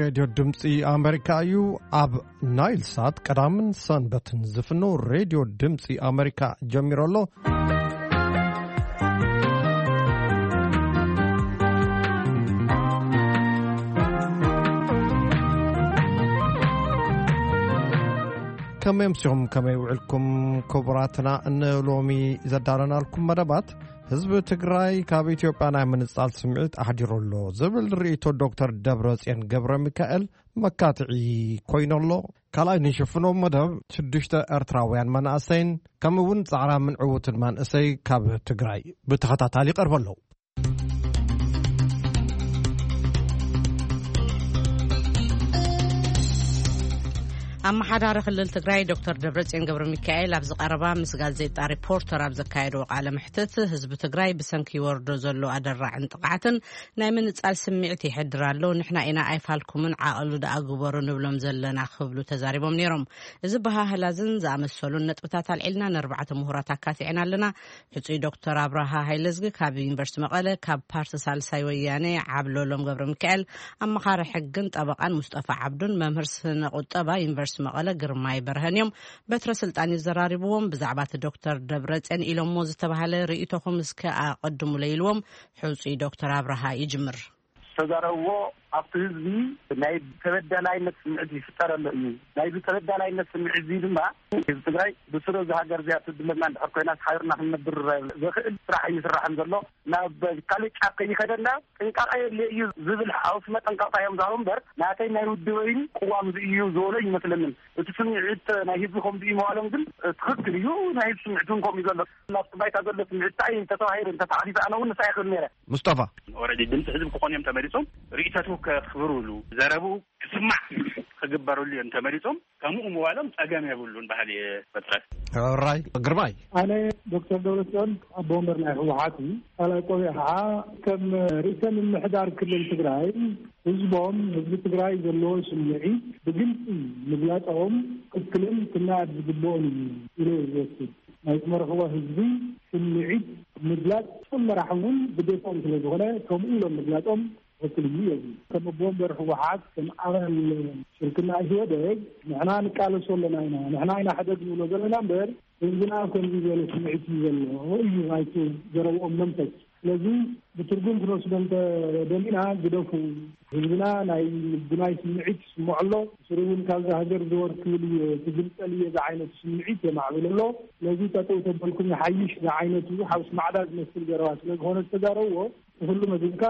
ሬድዮ ድምፂ ኣሜሪካ እዩ። ኣብ ናይል ሳት ቀዳምን ሰንበትን ዝፍኖ ሬድዮ ድምፂ ኣሜሪካ ጀሚሩ ኣሎ። ከመይ ኣምሲኹም፣ ከመይ ውዕልኩም ክቡራትና? ንሎሚ ዘዳለናልኩም መደባት፣ ህዝቢ ትግራይ ካብ ኢትዮጵያ ናይ ምንጻል ስምዒት ኣሕዲሩ ኣሎ ዝብል ርእይቶ ዶክተር ደብረጽዮን ገብረ ሚካኤል መካትዒ ኮይኑ ኣሎ። ካልኣይ ንሽፍኖ መደብ ሽዱሽተ ኤርትራውያን መናእሰይን ከምኡ እውን ጻዕራምን ዕዉትን መንእሰይ ካብ ትግራይ ብተኸታታሊ ይቐርቡ ኣለዉ። ኣመሓዳሪ ክልል ትግራይ ዶክተር ደብረጽዮን ገብረ ሚካኤል ኣብዚ ቀረባ ምስ ጋዜጣ ሪፖርተር ኣብ ዘካየድዎ ቃለ መሕትት፣ ህዝቢ ትግራይ ብሰንኪ ይወርዶ ዘሎ ኣደራዕን ጥቕዓትን ናይ ምንጻል ስምዒት ይሕድር ኣሎ፣ ንሕና ኢና ኣይፋልኩምን ዓቐሉ ደኣ ግበሩ ንብሎም ዘለና ክብሉ ተዛሪቦም ነይሮም። እዚ በሃህላዝን ዝኣመሰሉን ነጥብታት ኣልዒልና ንኣርባዕተ ምሁራት ኣካቲዕና ኣለና። ሕጹይ ዶክተር ኣብርሃ ሃይለዝጊ ካብ ዩኒቨርሲቲ መቐለ፣ ካብ ፓርቲ ሳልሳይ ወያነ ዓብለሎም ገብረ ሚካኤል ኣመኻሪ ሕግን ጠበቓን፣ ሙስጠፋ ዓብዱን መምህር ስነ ቁጠባ ዩኒቨርሲቲ መቐለ ግርማይ በርሀን እዮም። በትረ ስልጣን ይዘራርብዎም። ብዛዕባ እቲ ዶክተር ደብረጽዮን ኢሎሞ ዝተባህለ ርእይቶኹም እስከ ኣቐድሙለይ ኢልዎም። ሕጹይ ዶክተር ኣብርሃ ይጅምር። ዝተዛረብዎ ኣብቲ ህዝቢ ናይ ተበዳላይነት ስምዒት ይፍጠረሉ እዩ። ናይዚ ተበዳላይነት ስምዒት እዚ ድማ ህዝቢ ትግራይ ብስሩ እዚ ሃገር እዚኣ ትድለና እንድሕር ኮይና ሓቢርና ክንነብር ዘኽእል ስራሕ ኣይስራሕን ዘሎ። ናብ ካልእ ጫፍ ከይኸደና ጥንቃቐ የድልዮ እዩ ዝብል ሓውስ መጠንቀቕታ እዮም ዝሃቡ እምበር ናተይ ናይ ውድበይን ቅዋም እዚ እዩ ዝበሎ ይመስለንን። እቲ ስምዒት ናይ ህዝቢ ከምዚ እዩ ምባሎም ግን ትኽክል እዩ። ናይ ህዝቢ ስምዒት እውን ከምኡ እዩ ዘሎ። ናብቲ ባይታ ዘሎ ስምዒት እንታይ እዩ እንተተባሂሉ እንተተሓቲቱ ኣነ እውን ንሳ ይኽእል ነይረ። ሙስጠፋ። ኦረዲ ድምፂ ህዝቢ ክኾኑ እዮም ተመሪፆም። ርእይቶቱ ከኽብሩሉ፣ ዘረብኡ ክስማዕ ክግበረሉ እዮም ተመሪፆም። ከምኡ ምባሎም ፀገም የብሉን በሃሊ እየ። በትረ። ራይ ግርማይ። ኣነ ዶክተር ደብረፅዮን ኣቦ ወንበር ናይ ህወሓት እዩ። ካልኣይ ቆቢዕ ከዓ ከም ርእሰ ምምሕዳር ክልል ትግራይ ህዝቦም፣ ህዝቢ ትግራይ ዘለዎ ስምዒት ብግልፂ ምግላፆም ትክክልን ክናኣድ ዝግብኦን እዩ ኢለ እየ ዝወስድ። ናይ ዝመረኽዎ ህዝቢ ስምዒት ምግላፅ እቶም መራሒ እውን ግዴታኦም ስለ ዝኾነ ከምኡ ኢሎም ምግላፆም ትክክል እዩ የብል። ከም ኣቦ ወንበር ህወሓት፣ ከም ኣባል ሽርክና ኢህወደግ ንሕና ንቃለሶ ኣለና ኢና፣ ንሕና ኢና ሕደግ ንብሎ ዘለና እምበር ህዝብና ከምዚ ዝበለ ስምዒት እዩ ዘሎ እዩ ናይቲ ዘረብኦም መንፈስ። ስለዚ ብትርጉም ክንወስዶ እንተደሊና ግደፉ፣ ህዝብና ናይ ምጉናይ ስምዒት ይስምዖ ኣሎ። ብስሩ እውን ካብዛ ሃገር ዘወር ክብል እየ፣ ክግንጠል እየ ዝዓይነቱ ስምዒት የማዕብል ኣሎ። ስለዚ ጠጠው ተበልኩም ይሓይሽ ዝዓይነቱ ሓውስ ማዕዳ ዝመስል ዘረባ ስለ ዝኾነ ዝተዛረብዎ፣ ንኩሉ መዚንካ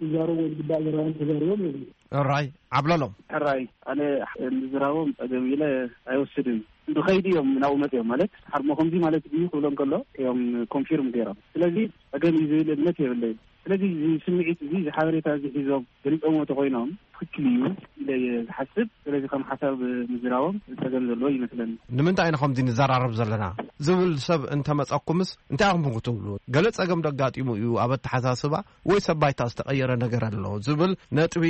ይዛረቡ ወይ ዝግባእ ዘረባን ተዛሪቦም የብሉ። ራይ ዓብለሎም። ሕራይ ኣነ ምዝራቦም ጸገም ኢለ ኣይወስድን። ብኸይዲ እዮም ናብኡ መጽዮም ማለት ሓርሞ ከምዚ ማለት ድዩ ክብሎም ከሎ እዮም ኮንፊርም ገይሮም። ስለዚ ጸገም እዩ ዝብል እምነት የብለይን። ስለዚ እዚ ስምዒት እዚ፣ እዚ ሓበሬታ እዚ ሒዞም ገሊጾምዎ ተኾይኖም ትኽክል እዩ ኢለ እየ ዝሓስብ። ስለዚ ከም ሓሳብ ምዝራቦም ጸገም ዘለዎ ይመስለኒ። ንምንታይ ኢና ከምዚ ንዘራረብ ዘለና ዝብል ሰብ እንተመጸኩምስ እንታይ ኢኹም ክትብሉ? ገለ ጸገም ደጋጢሙ እዩ ኣብ ኣተሓሳስባ ወይ ሰብ ባይታ ዝተቐየረ ነገር ኣሎ ዝብል ነጥቢ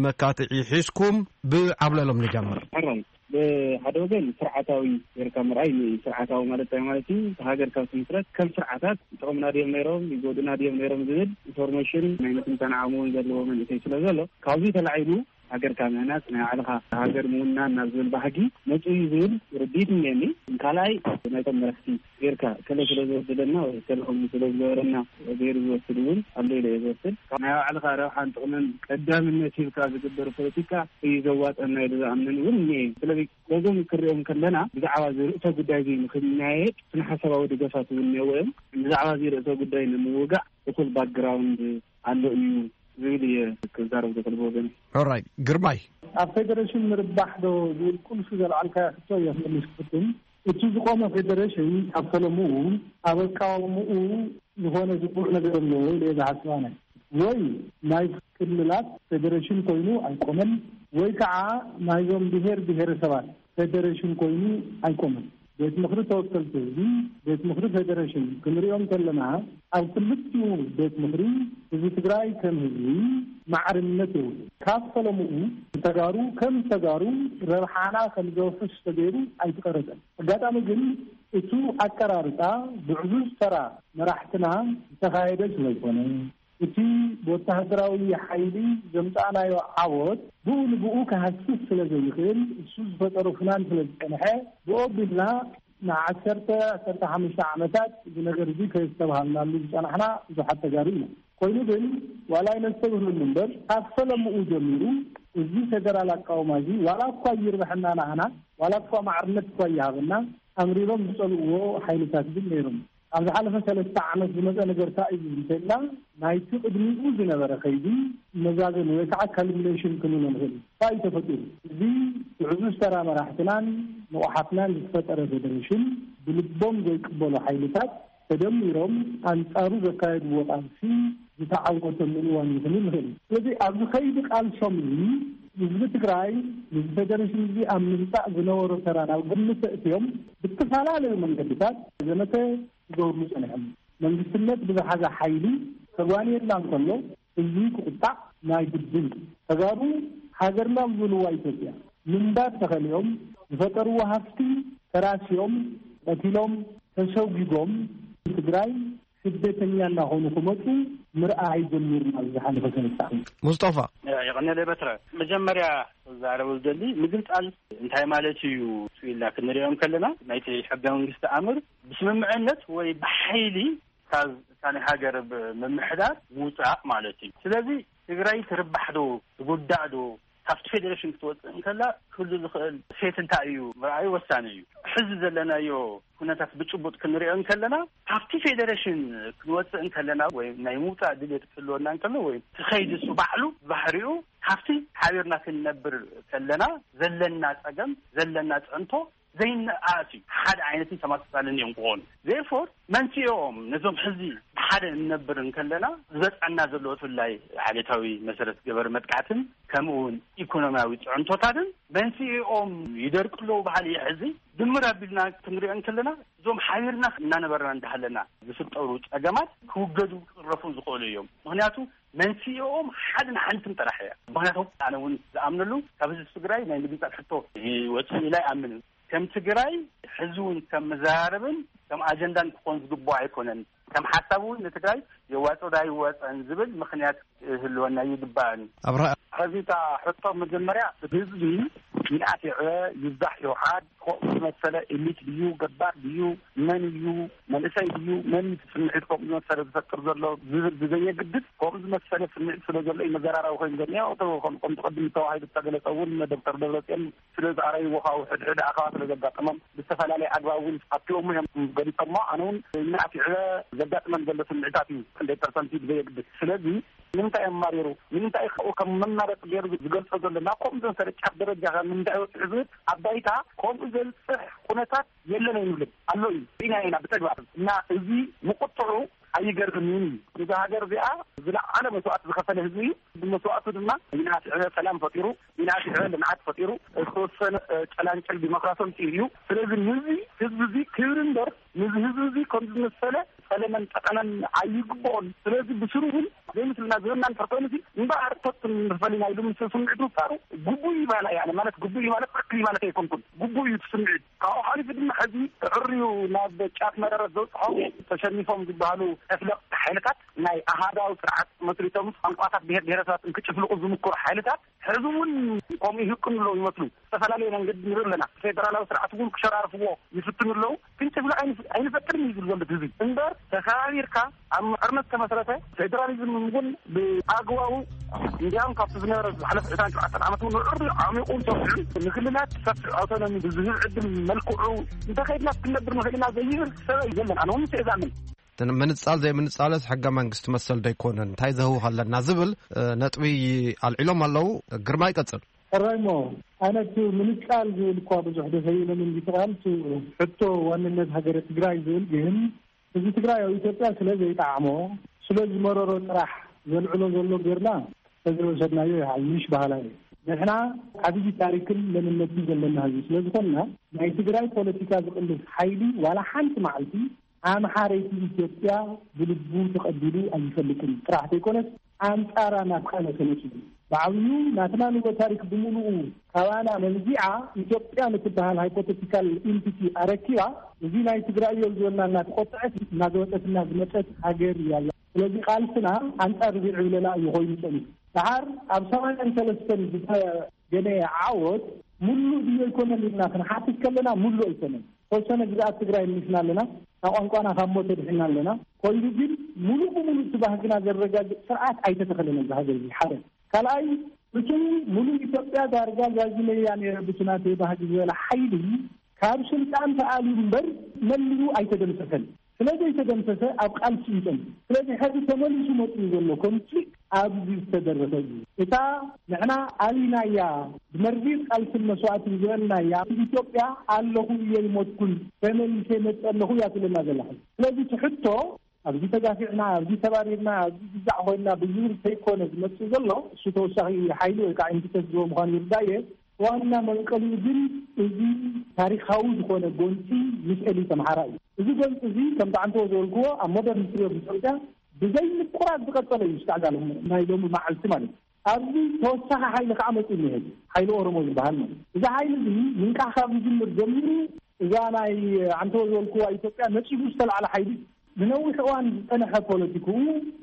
መካትዒ ሒዝኩም ብዓብለሎም ንጀምር። ሕራይ ብሓደ ወገን ስርዓታዊ ጌርካ ምርኣይ እዩ። ስርዓታዊ ማለት እንታይ ማለት እዩ? እቲ ሃገር ካብ ትምስረት ከም ስርዓታት ይጠቕሙና ድዮም ነይሮም፣ ይጎዱና ድዮም ነይሮም ዝብል ኢንፎርሜሽን ናይ ምትንታን ዓቕሚ እውን ዘለዎ መንእሰይ ስለ ዘሎ ካብዚ ተላዒሉ ሃገርካ ምህናጽ ናይ ባዕልኻ ሃገር ምውናን ናብ ዝብል ባህጊ መጽኡ እዩ ዝብል ርድኢት እኒአኒ። ካልኣይ ናይቶም መራሕቲ ጌርካ ከለ ስለ ዝወሰደና ወይ ከለ ከምኡ ስለ ዝገበረና ገይሩ ዝወስድ እውን ኣሎ ኢለ እየ ዝወስድ። ናይ ባዕልኻ ረብሓን ጥቕምን ቀዳምነት ሂብካ ዝግበር ፖለቲካ እዩ ዘዋፀና ኢሉ ዝኣምን እውን እኒአ እዩ። ስለዚ በዞም ክሪኦም ከለና ብዛዕባ እዚ ርእሰ ጉዳይ እዚ ንክናየድ ስነ ሓሳባዊ ደገፋት እውን እኒአዎ እዮም። ብዛዕባ እዚ ርእሰ ጉዳይ ንምውጋእ እኹል ባክግራውንድ ኣሎ እዩ ዝብል እየ ክዛረብ ዝኽእል ብወገነይ። ኦራይ ግርማይ። ኣብ ፌደሬሽን ምርባሕ ዶ ዝብል ቁልፊ ዘልዓልካዮ ሕቶ እየ ክመልስ ክፍትን። እቲ ዝቆመ ፌደሬሽን ኣብ ፈለምኡ ኣብ ኣቃውምኡ ዝኾነ ዝቑዕ ነገር ኣለዎ ኢለ እየ ዝሓስብ ኣነ። ወይ ናይ ክልላት ፌደሬሽን ኮይኑ ኣይቆመን፣ ወይ ከዓ ናይዞም ብሄር ብሄረሰባት ፌደሬሽን ኮይኑ ኣይቆመን። ቤት ምኽሪ ተወከልቲ ህዝቢ፣ ቤት ምኽሪ ፌደሬሽን ክንሪኦም ከለና ኣብ ክልቲኡ ቤት ምኽሪ ህዝቢ ትግራይ ከም ህዝቢ ማዕርነት የብሉ። ካብ ፈለምኡ ተጋሩ ከም ተጋሩ ረብሓና ከም ዘውሕስ ተገይሩ ኣይተቐረፀን። ኣጋጣሚ ግን እቱ ኣቀራርፃ ብዕዙዝ ተራ መራሕትና ዝተኻየደ ስለዝኾነ እቲ ብወተሃደራዊ ሓይሊ ዘምጻእናዮ ዓወት ብኡ ንብኡ ክሃስስ ስለ ዘይኽእል፣ እሱ ዝፈጠሮ ፍናን ስለ ዝጸንሐ፣ ብኡ ኣቢልና ንዓሰርተ፣ ዓሰርተ ሓሙሽተ ዓመታት እዚ ነገር እዚ ከየስተብሃልናሉ ዝጸናሕና ብዙሓት ተጋሩ ኢና። ኮይኑ ግን ዋላ ኣይነስተብህለሉ እምበር፣ ካብ ፈለምኡ ጀሚሩ እዚ ፌደራል ኣቃውማ እዚ ዋላ እኳ ይርብሐና ናህና፣ ዋላ እኳ ማዕርነት እኳ ይሃበና፣ ኣምሪሮም ዝጸልእዎ ሓይልታት ግን ነይሮም። ኣብ ዝሓለፈ ሰለስተ ዓመት ዝመጸ ነገር እንታይ እዩ እንተኢልና፣ ናይቲ ቅድሚኡ ዝነበረ ከይዲ መዛዘሚ ወይ ከዓ ካልኩሌሽን ክንብሎ ንኽእል እዩ። እንታይ እዩ ተፈጢሩ? እዚ ብዕዙዝ ተራ መራሕትናን ንቑሓትናን ዝተፈጠረ ፌደሬሽን ብልቦም ዘይቅበሉ ሓይልታት ተደሚሮም ኣንጻሩ ዘካየድዎ ቃልሲ ዝተዓወተሉ እዋን እዩ ክንብል ንኽእል። ስለዚ ኣብዚ ከይዲ ቃልሶም እዚ ህዝቢ ትግራይ ነዚ ፌደሬሽን እዚ ኣብ ምምጻእ ዝነበሮ ተራ ናብ ግምት ኣእትዮም ብተፈላለዩ መንገድታት ዘመተ ክገብርሉ ጸኒሖም። መንግስትነት ብዝሓዘ ሓይሊ ከጓንየልና እንከሎ ህዝቢ ክቁጣዕ ናይ ግድን። ተጋሩ ሃገርና ዝብልዋ ኢትዮጵያ ምንባር ተኸሊኦም ዝፈጠርዎ ሃፍቲ ተራሲዮም ቀቲሎም ተሰጒጎም ትግራይ ስደተኛ እናኾኑ ክመፁ ምርኣይ ጀሚርና ኣብዚ ዝሓለፈ ሰለስተ ዓመት። ሙስጠፋ። የቐንየለይ በትረ። መጀመርያ ክዛረበሉ ደሊ ምግንጻል እንታይ ማለት እዩ ኢልና ክንሪኦም ከለና ናይቲ ሕገ መንግስቲ ኣምር ብስምምዕነት ወይ ብሓይሊ ካብ እታ ናይ ሃገር ምምሕዳር ምውጻእ ማለት እዩ። ስለዚ ትግራይ ትርባሕ ዶ ትጉዳእ ዶ ካብቲ ፌዴሬሽን ክትወጽእ እንከላ ክህሉ ዝኽእል ሴት እንታይ እዩ ምርኣዩ ወሳኒ እዩ። ሕዚ ዘለናዮ ኩነታት ብጭቡጥ ክንሪኦ እንከለና ካብቲ ፌዴሬሽን ክንወጽእ እንከለና ወይ ናይ ምውጻእ ድሌት ክህልወና እንከሎ ወይ እቲ ከይዲ እሱ ባዕሉ ባህሪኡ ካብቲ ሓቢርና ክንነብር ከለና ዘለና ጸገም ዘለና ጽዕንቶ ዘይነኣስ እዩ። ሓደ ዓይነትን ተመሳሳልን እዮም ክኾኑ። Therefore መንስኤኦም ነዞም ሕዚ ብሓደ እንነብር እንከለና ዝበፅዐና ዘሎ ብፍላይ ዓሌታዊ መሰረት ገበር መጥቃዕትን ከምኡ እውን ኢኮኖሚያዊ ፅዕንቶታትን መንስኤኦም ይደርቁ ኣለዉ ባህሊ እዩ። ሕዚ ድምር ኣቢልና ክንሪኦ እንከለና እዞም ሓቢርና እናነበርና እንዳሃለና ዝፍጠሩ ፀገማት ክውገዱ ክቅረፉ ዝኽእሉ እዮም። ምክንያቱ መንስኤኦም ሓድን ሓንትን ጥራሕ እያ። ምክንያቱ ኣነ እውን ዝኣምነሉ ካብ ህዝቢ ትግራይ ናይ ምግንፃል ሕቶ ይወፅእ ኢላ ይኣምን። ከም ትግራይ ሕዚ እውን ከም መዘራረብን ከም ኣጀንዳን ክኾን ዝግብኦ ኣይኮነን። ከም ሓሳብ እውን ንትግራይ የዋፅኦ ዶ ኣይዋፅእን ዝብል ምክንያት ክህልወና ይግባእን። ኣብርሃ። ሕዚ እታ ሕቶ መጀመርያ ህዝቢ ይንኣስ ይዕበ ይብዛሕ ይውሓድ ከምኡ ዝመሰለ ኤሊት ድዩ ገባር ድዩ መን እዩ መንእሰይ ድዩ መን እዩ እቲ ስምዒት ከምኡ ዝመሰለ ዝፈጥር ዘሎ ዝብል ብዘየግድስ ከምኡ ዝመሰለ ስምዒት ስለ ዘሎ እዩ መዘራረቢ ኮይኑ ዘሎ። ያው እቶ ከም ከምቲ ቅድም ተባሂሉ ዝተገለጸ እውን ዶክተር ደብረጽዮን ስለ ዝኣረይዎ ካብኡ ሕድሕድ ኣኸባ ስለ ዘጋጠሞም ብዝተፈላለየ ኣግባብ እውን ኣትዮሞ እዮም ገሊጾሞ። ኣነ እውን ንኣፊዕበ ዘጋጥመን ዘሎ ስምዒታት እዩ ክንደይ ፐርሰንት እዩ ብዘየግድስ። ስለዚ ንምንታይ እዮም ማሪሩ ንምንታይ ካብኡ ከም መማረፂ ገይሩ ዝገልጾ ዘሎ ናብ ከምኡ ዘንሰለ ጫፍ ደረጃ ከ ንምንታይ ወፅሑ ዝብል ኣብ ባይታ ከምኡ ዘብፅሕ ኩነታት የለን ኣይንብልን ኣሎ እዩ ኢና ኢና ብተግባር እና እዚ ምቁጥዑ ኣይገርምን እዩ። እዛ ሃገር እዚኣ ዝለዓለ መስዋእቲ ዝኸፈለ ህዝቢ እዩ። ብመስዋእቱ ድማ ይናስዕበ ሰላም ፈጢሩ ይናስዕበ ልምዓት ፈጢሩ ዝተወሰነ እ፣ ጨላንጨል ዲሞክራሲ ኣምፂኡ እዩ። ስለዚ ንዚ ህዝቢ እዚ ክብሪ እምበር ንዚ ህዝቢ እዚ ከም ዝመሰለ ጸለመን ጠቐነን ኣይግብኦን። ስለዚ ብስሩ እውን ዘይምስልና ዝበና እንድሕር ኮይኑ ሲ እምበኣር ተቱን ንፈሊና ኢሉ ምስ ስምዒት ምፍጣሩ ግቡእ እዩ ባላ እያ ማለት ግቡእ እዩ ማለት ትክክል እዩ ማለት ኣይኮንኩን። ግቡእ እዩ እቲ ስምዒት ካብኡ ሓሊፉ ድማ ሕዚ ተዕርዩ ናብ ጫፍ መረረት ዘውፅሖም ተሸኒፎም ዝበሃሉ ተፍለቕቲ ሓይልታት ናይ ኣሃዳዊ ስርዓት መስሪቶም ቋንቋታት ብሄር ብሄረሰባት እንክጭፍልቁ ዝምክሩ ሓይልታት ሕዚ እውን ከምኡ ይህቅኑ ኣለዉ ይመስሉ። ዝተፈላለየ መንገዲ ንርኢ ኣለና። ፌደራላዊ ስርዓት እውን ክሸራርፍዎ ይፍትኑ ኣለዉ። ክንጭፍልቕ ኣይንፈቅድን እዩ ዝብል ዘሎ ህዝቢ እምበር ተኸባቢርካ ኣብ ምዕርነት ተመስረተ ፌደራሊዝም እውን ብኣግባቡ እንዲያውም ካብቲ ዝነበረ ዝሓለፈ ዕስራን ሸውዓተን ዓመት እውን ንዕሪ ዓሚቑን ሰፊዑን ንክልላት ሰፊሕ ኣውቶኖሚ ብዝህብ ዕድል መልክዑ እንተኸይድና ክንነብር ንኽእል ኢና ዘይብል ሰብ እዩ ዘለና ኣነ እውን ምስ እዛምን ምንጻል ዘይምንጻልስ ሕገ መንግስቲ መሰል ዶ ኣይኮነን እንታይ ዘህውኽ ኣለና ዝብል ነጥቢ ኣልዒሎም ኣለዉ። ግርማ ይቀጽል። ሕራይ እሞ ኣነ እቲ ምንጻል ዝብል እኳ ብዙሕ ደስ ኣይብለንን እቲ ቃል እቲ ሕቶ ዋንነት ሃገረ ትግራይ ዝብል ግን ህዝቢ ትግራይ ኣብ ኢትዮጵያ ስለ ዘይጠዓሞ ስለ ዝመረሮ ጥራሕ ዘልዕሎ ዘሎ ጌርና ተዘይወሰድናዮ ይሓይሽ በሃላይ እየ። ንሕና ዓብዪ ታሪክን መንነትን ዘለና ህዝቢ ስለ ዝኾንና ናይ ትግራይ ፖለቲካ ዝቕልስ ሓይሊ ዋላ ሓንቲ መዓልቲ ኣምሓረይቲ ኢትዮጵያ ብልቡ ተቐቢሉ ኣይፈልጥን ጥራሕ ዘይኮነስ ኣንጻራ ናብ ካልእ ተነጺሉ ብዓብዩ ናትና ንጎ ታሪክ ብምሉኡ ካባና መንዚዓ ኢትዮጵያ ንትበሃል ሃይፖቴቲካል ኢንቲቲ ኣረኪባ እዚ ናይ ትግራይ እዮም ዝበልና እናተቆጠዐት እናዘወጠትና ዝመፀት ሃገር እያ። ስለዚ ቃልስና ኣንጻር እዚ ዕብለላ እዩ ኮይኑ ጸኒሑ። ደሓር ኣብ ሰማንያን ሰለስተን ዝተገነየ ዓወት ሙሉእ ድዮ ኣይኮነን ኢልና ክንሓትት ከለና፣ ሙሉእ ኣይኮነን። ተወሰነ ግዝኣት ትግራይ ምልስና ኣለና፣ ካብ ቋንቋና ካብ ሞት ድሕና ኣለና። ኮይኑ ግን ሙሉእ ብሙሉእ እቲ ባህግና ዘረጋግጽ ስርዓት ኣይተተኸለን ኣብዚ ሃገር እዚ። ሓደ ካልኣይ፣ እቲ ሙሉእ ኢትዮጵያ ዳርጋ ዛዚመያ ነይረ ብቲ ናተይ ባህጊ ዝበለ ሓይሊ ካብ ስልጣን ተኣልዩ እምበር መሊኡ ኣይተደምሰሰን። ስለ ዘይተደምሰሰ ኣብ ቃልሲ እዩ ጸኒሑ። ስለዚ ሕዚ ተመሊሱ መጺኡ ዘሎ ኮንፍሊክት ኣብዚ ዝተደረሰ እዩ። እታ ንሕና ኣሊናያ ብመርዚር ቃልስን መስዋእትን ዝበልናያ ኢትዮጵያ ኣለኹ እየ ይሞትኩን ተመሊሰ መጸ ኣለኹ እያ ትብለና ዘላ። ስለዚ እቲ ሕቶ ኣብዚ ተጋፊዕና፣ ኣብዚ ተባሪርና፣ ኣብዚ ግዛዕ ኮይና ብዝብል ከይኮነ ዝመጽእ ዘሎ፣ እሱ ተወሳኺ ሓይሊ ወይ ከዓ ኢምፒተስ ዝህቦ ምዃኑ ይርዳእ እየ። ዋና መንቀሊኡ ግን እዚ ታሪኻዊ ዝኾነ ጎንፂ ምስ ኤሊት ኣምሓራ እዩ። እዚ ጎንፂ እዚ ከምቲ ዓንተቦ ዝበልክዎ ኣብ ሞደርን ሂስትሪ ኦፍ ኢትዮጵያ ብዘይ ምቁራፅ ዝቐፀለ እዩ። እስካዕ ዛሎም ናይ ሎሚ መዓልቲ ማለት እዩ። ኣብዚ ተወሳኺ ሓይሊ ከዓ መፂኡ እኒሀ፣ ሓይሊ ኦሮሞ ዝበሃል ማለት እዩ። እዚ ሓይሊ እዚ ምንቃሕ ካብ ዝጅምር ጀሚሩ እዛ ናይ ዓንተቦ ዝበልክዋ ኢትዮጵያ ነፂጉ ዝተላዕለ ሓይሊ እዩ። ንነዊሕ እዋን ዝፀንሐ ፖለቲክኡ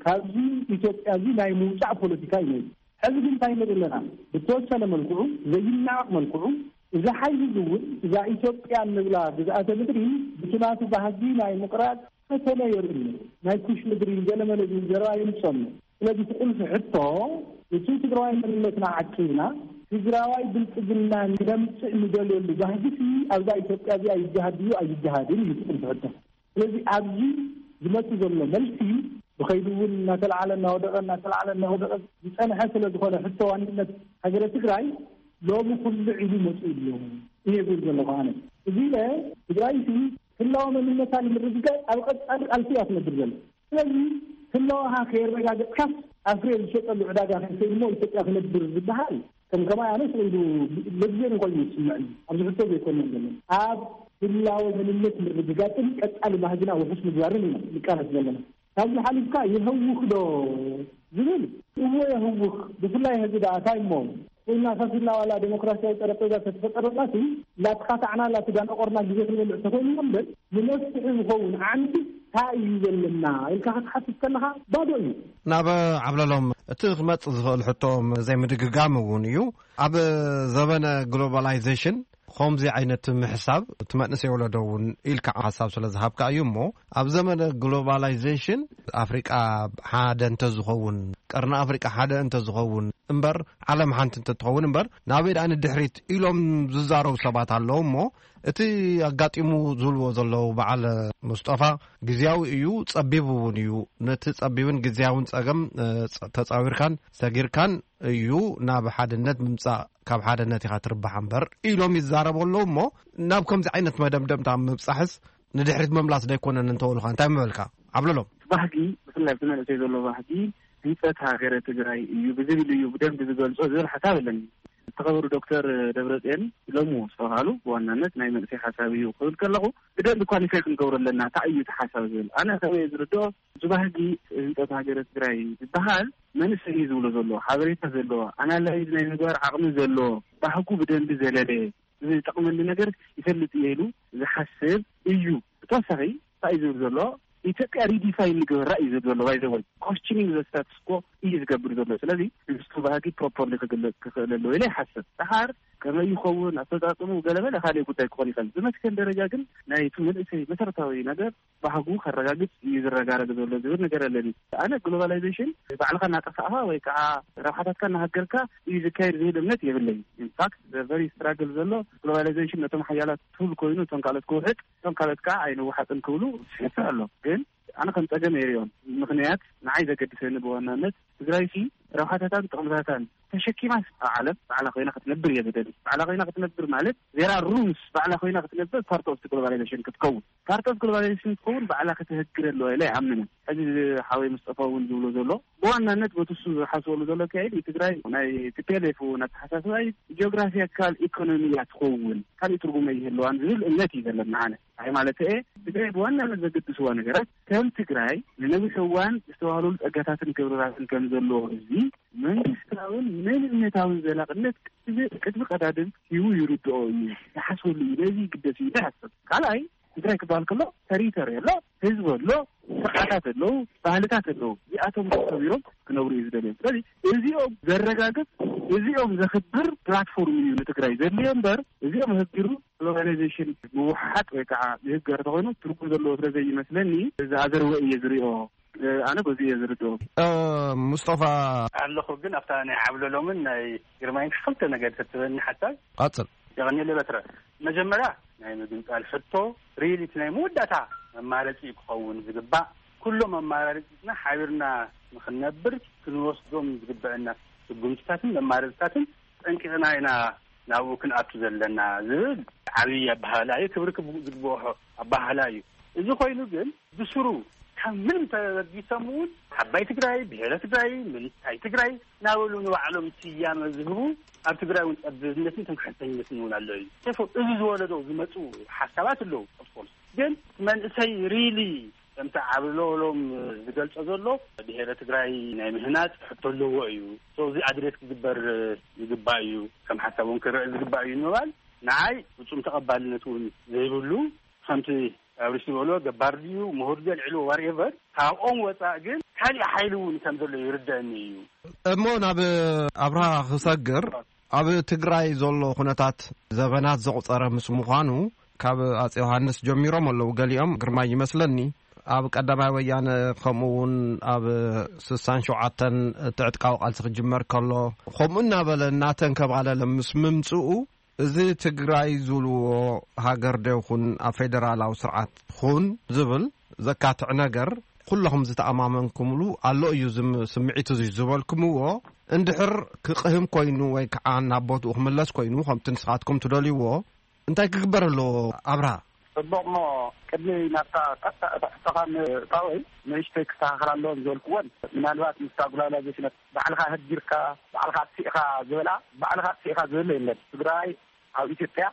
ካብዚ ኢትዮጵያ እዚ ናይ ምውፃእ ፖለቲካ እዩ ነይሩ። ሕዚ ግን እንታይ ንርኢ ኣለና? ብተወሰነ መልክዑ፣ ዘይናቕ መልክዑ፣ እዚ ሓይሊ እዚ እውን እዛ ኢትዮጵያ እንብላ ግዝኣተ ምድሪ ብቲ ናቱ ባህጊ ናይ ምቕራፅ ፈተነ የርኢ ኣሎ። ናይ ኩሽ ምድሪ ገለመለ ዝብል ዘረባ የምፅእ ኣሎ። ስለዚ እቲ ቁልፊ ሕቶ፣ እቲ ትግራዋይ መንነትና ዓቂብና ትግራዋይ ብልፅግና ክነምፅእ ንደልየሉ ባህጊ ኣብዛ ኢትዮጵያ እዚኣ ይገሃድ ድዩ ኣይገሃድን እዩ እቲ ቁልፊ ሕቶ። ስለዚ ኣብዚ ዝመጽእ ዘሎ መልሲ ብኸይዱ እውን እናተለዓለ እናወደቐ፣ እናተለዓለ እናወደቐ ዝጸንሐ ስለ ዝኾነ፣ ሕቶ ዋንነት ሃገረ ትግራይ ሎሚ ኩሉ ኢሉ መጽኡ ኣሎ እየ ዝብል ዘለኹ ኣነ። እዚ ኢለ፣ ትግራይ ሲ ህላወ መንነታ ንምርግጋጽ ኣብ ቀጻሊ ቃልሲ እያ ትነብር ዘላ። ስለዚ ህላወኻ ከየረጋገጽካስ ኣብ ፍሬ ዝሸጠሉ ዕዳጋ ከይሰይድሞ ኢትዮጵያ ክነብር ዝበሃል ከም ከማይ ኣነ ስለ ኢሉ መግዘሪ ኮይኑ ይስምዐኒ። ኣብዚ ሕቶ ዘይኮነ ዘሎ፣ ኣብ ህላወ መንነት ምርግጋጽን ቀጻሊ ባህግና ውሑስ ምግባርን ኢና ንቃለስ ዘለና። ካብዚ ሓሊፍካ የህውኽ ዶ ዝብል፣ እዎ የህውኽ። ብፍላይ ህዚ ደኣ እንታይ እሞ ኮይና፣ ፈሲልና ዋላ ዴሞክራሲያዊ ጠረጴዛ ተተፈጠረላሲ ላትኻታዕና ላትዳነቆርና ግዜ ክንበልዕ ተኮይንና እምበር፣ ንመፍትሒ ዝኸውን ዓንዲ እንታይ እዩ ዘለና ኢልካ ክትሓትት ከለኻ ባዶ እዩ። ናብ ዓብለሎም እቲ ክመጽእ ዝኽእል ሕቶ ዘይምድግጋም እውን እዩ። ኣብ ዘበነ ግሎባላይዜሽን ከምዚ ዓይነት ምሕሳብ እቲ መንእሰይ ወለዶ እውን ኢልካ ሓሳብ ስለ ዝሃብካ እዩ። እሞ ኣብ ዘመነ ግሎባላይዜሽን ኣፍሪቃ ሓደ እንተዝኸውን፣ ቀርኒ ኣፍሪቃ ሓደ እንተዝኸውን እምበር፣ ዓለም ሓንቲ እንተትኸውን እምበር ናበይ ደኣ ንድሕሪት ኢሎም ዝዛረቡ ሰባት ኣለዉ። እሞ እቲ ኣጋጢሙ ዝብልዎ ዘለዉ በዓል ሙስጠፋ ግዝያዊ እዩ፣ ጸቢብ እውን እዩ። ነቲ ጸቢብን ግዝያውን ጸገም፣ እ፣ ጸ-፣ ተጻዊርካን ሰጊርካን እዩ ናብ ሓድነት ምምጻእ፣ ካብ ሓድነት ኢኻ ትርባሕ እምበር ኢሎም ይዛረቡ ኣለዉ። እሞ ናብ ከምዚ ዓይነት መደምደምታ ምብጻሕስ ንድሕሪት ምምላስ ዶ ኣይኮነን እንተበሉኻ እንታይ ምበልካ? ዓብለሎም። ባህጊ፣ ብፍላይ ኣብቲ መንእሰይ ዘሎ ባህጊ ህንጸት ሃገረ ትግራይ እዩ ብዝብል እዩ ብደንቢ ዝገልጾ ዝብል ሓሳብ ኣለኒ። ዝተኸበሩ ዶክተር ደብረጽዮን ሎሚ ዝተባሃሉ ብዋናነት ናይ መንእሰይ ሓሳብ እዩ ክብል ከለኹ ብደንቢ ኳሊፋይ ክንገብሮ ኣለና። እንታይ እዩ እቲ ሓሳብ ዝብል? ኣነ ከመይ ዝርድኦ፣ እዚ ባህጊ ህንጸት ሃገረ ትግራይ ዝበሃል መንእሰይ እዩ ዝብሎ ዘሎ፣ ሓበሬታ ዘለዎ፣ ኣናላይዝ ናይ ምግባር ዓቕሚ ዘለዎ፣ ባህጉ ብደንቢ ዘለለ፣ እዚ ዝጠቕመኒ ነገር ይፈልጥ እየ ኢሉ ዝሓስብ እዩ። ብተወሳኺ እንታይ እዩ ዝብል ዘሎ? ኢትዮጵያ ሪዲፋይን ንግበራ እዩ ዝብል ዘሎ። ባይ ዘ ወይ ኮስችኒንግ ዘ ስታትስ ኮ እዩ ዝገብር ዘሎ። ስለዚ ንሱ ባህጊ ፕሮፐርሊ ክግለጽ ክኽእል ኣለዎ ኢለ ይሓስብ። ደሓር ከመይ ይኸውን ኣፈጻጽሙ ገለመለ ካልእ ጉዳይ ክኾን ይኽእል። ብመትከል ደረጃ ግን ናይ እቲ መንእሰይ መሰረታዊ ነገር ባህጉ ከረጋግጽ እዩ ዝረጋረግ ዘሎ ዝብል ነገር ኣለኒ። ኣነ ግሎባላይዜሽን ባዕልኻ እናጠፋእኻ ወይ ከዓ ረብሓታትካ እናሃገርካ እዩ ዝካየድ ዝብል እምነት የብለይ። ኢንፋክት ቨሪ ስትራግል ዘሎ ግሎባላይዜሽን ነቶም ሓያላት ቱል ኮይኑ እቶም ካልኦት ክውሕጥ እቶም ካልኦት ከዓ ኣይንወሓጥን ክብሉ ስሕተ ኣሎ። ግን ኣነ ከም ጸገም የሪኦም። ምኽንያት ንዓይ ዘገድሰኒ ብዋናነት ትግራይ ሲ ረብሓታታን ጥቕምታታን ተሸኪማስ ኣብ ዓለም ባዕላ ኮይና ክትነብር እየ ዝደሊ። ባዕላ ኮይና ክትነብር ማለት ዜራ ሩምስ ባዕላ ኮይና ክትነብር ፓርት ኦፍ ግሎባላይዜሽን ክትከውን፣ ፓርት ኦፍ ግሎባላይዜሽን ክትከውን ባዕላ ክትህግር ኣለዋ ኢለ ኣይኣምንን። ሕዚ ሓወይ ሙስጠፋ እውን ዝብሎ ዘሎ ብዋናነት በቲ እሱ ዝሓስበሉ ዘሎ ኣካይድ ትግራይ ናይ ቲ ፒ ኤል ኤፍ እውን ኣተሓሳስባ እዩ። ጂኦግራፊካል ኢኮኖሚ እያ ትኸውን፣ ካልእ ትርጉም ኣይህልዋን ዝብል እምነት እዩ ዘለና። ኣነ ኣይ ማለት እየ ትግራይ ብዋናነት ዘገድስዋ ነገራት ከም ትግራይ ንነዊሕ እዋን ዝተባህለሉ ጸጋታትን ክብርታትን ከም ዘለዎ ህዝቢ መንግስታውን መንነታውን ዘላቕነት ቅድሚ፣ ቅድሚ ቀዳድም ሂቡ ይርድኦ እዩ፣ ይሓስበሉ እዩ፣ ነዚ ይግደስ እዩ ይሓስብ። ካልኣይ ትግራይ ክበሃል ከሎ ተሪቶሪ ኣሎ፣ ህዝቢ ኣሎ፣ ስርዓታት ኣለዉ፣ ባህልታት ኣለዉ። እዚኣቶም ተኸቢሮም ክነብሩ እዩ ዝደልዮም። ስለዚ እዚኦም ዘረጋግጽ፣ እዚኦም ዘኽብር ፕላትፎርም እዩ ንትግራይ ዘድልዮ እምበር፣ እዚኦም ኣህጊሩ ግሎባላይዜሽን ምውሓጥ ወይ ከዓ ይህገር ተኾይኑ ትርጉም ዘለዎ ስለ ዘይመስለኒ፣ እዚ ኣዘርወ እየ ዝሪኦ። ኣነ በዚ እየ ዝርድኦ። ሙስጠፋ ኣለኹ። ግን ኣብታ ናይ ዓብለሎምን ናይ ግርማይን ክልተ ነገር ተትበኒ ሓሳብ ቀጽል። የቐንየለይ በትረ። መጀመርያ ናይ ምግንጻል ሕቶ ሪሊ እቲ ናይ መወዳእታ መማረፂ ክኸውን ዝግባእ፣ ኩሎም ኣማራርፅና ሓቢርና ንክንነብር ክንወስዶም ዝግበአና ስጉምትታትን መማረፅታትን ጠንቂቕና ኢና ናብኡ ክንኣቱ ዘለና ዝብል ዓብዪ ኣባህላ እዩ። ክብሪ ክብ- ዝግብኦ ኣባህላ እዩ። እዚ ኮይኑ ግን ብስሩ ካብ ምንም ተበጊሶም እውን ዓባይ ትግራይ፣ ብሔረ ትግራይ፣ ምንታይ ትግራይ እናበሉ ንባዕሎም ስያመ ዝህቡ፣ ኣብ ትግራይ እውን ጠብብነትን ትምክሕተኝነትን እውን ኣሎ እዩ። ተፎ እዚ ዝወለዶ ዝመፁ ሓሳባት ኣለዉ። ኦፍኮርስ ግን መንእሰይ ሪሊ ከምቲ ዓብለሎም ዝገልጾ ዘሎ ብሔረ ትግራይ ናይ ምህናፅ ሕቶ ኣለዎ እዩ። So እዚ ኣድሬስ ክግበር ይግባእ እዩ፣ ከም ሓሳብ እውን ክረአ ዝግባእ እዩ ንምባል ንዓይ ፍጹም ተቐባልነት እውን ዘይብሉ፣ ከምቲ ኣብርሽ ዝበሎ ገባር ድዩ ምሁር ድዩ ኣልዕልዎ ዋርኤቨር፣ ካብኦም ወፃእ ግን ካሊእ ሓይሊ እውን ከም ዘሎ ይርደአኒ እዩ። እሞ ናብ ኣብርሃ ክሰግር፣ ኣብ ትግራይ ዘሎ ኩነታት ዘበናት ዘቑፀረ ምስ ምዃኑ ካብ ኣጼ ዮሃንስ ጀሚሮም ኣለዉ። ገሊኦም ግርማይ ይመስለኒ ኣብ ቀዳማይ ወያነ፣ ከምኡ እውን ኣብ ስሳን ሸውዓተን እቲ ዕጥቃዊ ቃልሲ ክጅመር ከሎ፣ ከምኡ እናበለ እናተንከባለለ ምስ ምምፅኡ፣ እዚ ትግራይ ዝብልዎ ሃገር ዶ ይኹን ኣብ ፌደራላዊ ስርዓት ኹን ዝብል ዘካትዕ ነገር ኩለኹም ዝተኣማመንኩምሉ ኣሎ እዩ። ዝም- ስምዒት እዚ ዝበልኩምዎ እንድሕር ክቕህም ኮይኑ ወይ ከዓ ናብ ቦትኡ ክምለስ ኮይኑ ከምቲ ንስኻትኩም ትደልይዎ እንታይ ክግበር ኣለዎ ኣብርሃ? ጽቡቕ እሞ ቅድሚ ናብታ ቀጥታ እታ ሕቶኻ ምእታወይ ንእሽተይ ክስተኻኸል ኣለዎ ዝበልክዎን ምናልባት ምስታ ግሎባላይዜሽን ባዕልኻ ህጊርካ ባዕልኻ ኣጥፊእኻ ዝበላ ባዕልኻ ኣጥፊእኻ ዝብል የለን። ትግራይ ኣብ ኢትዮጵያ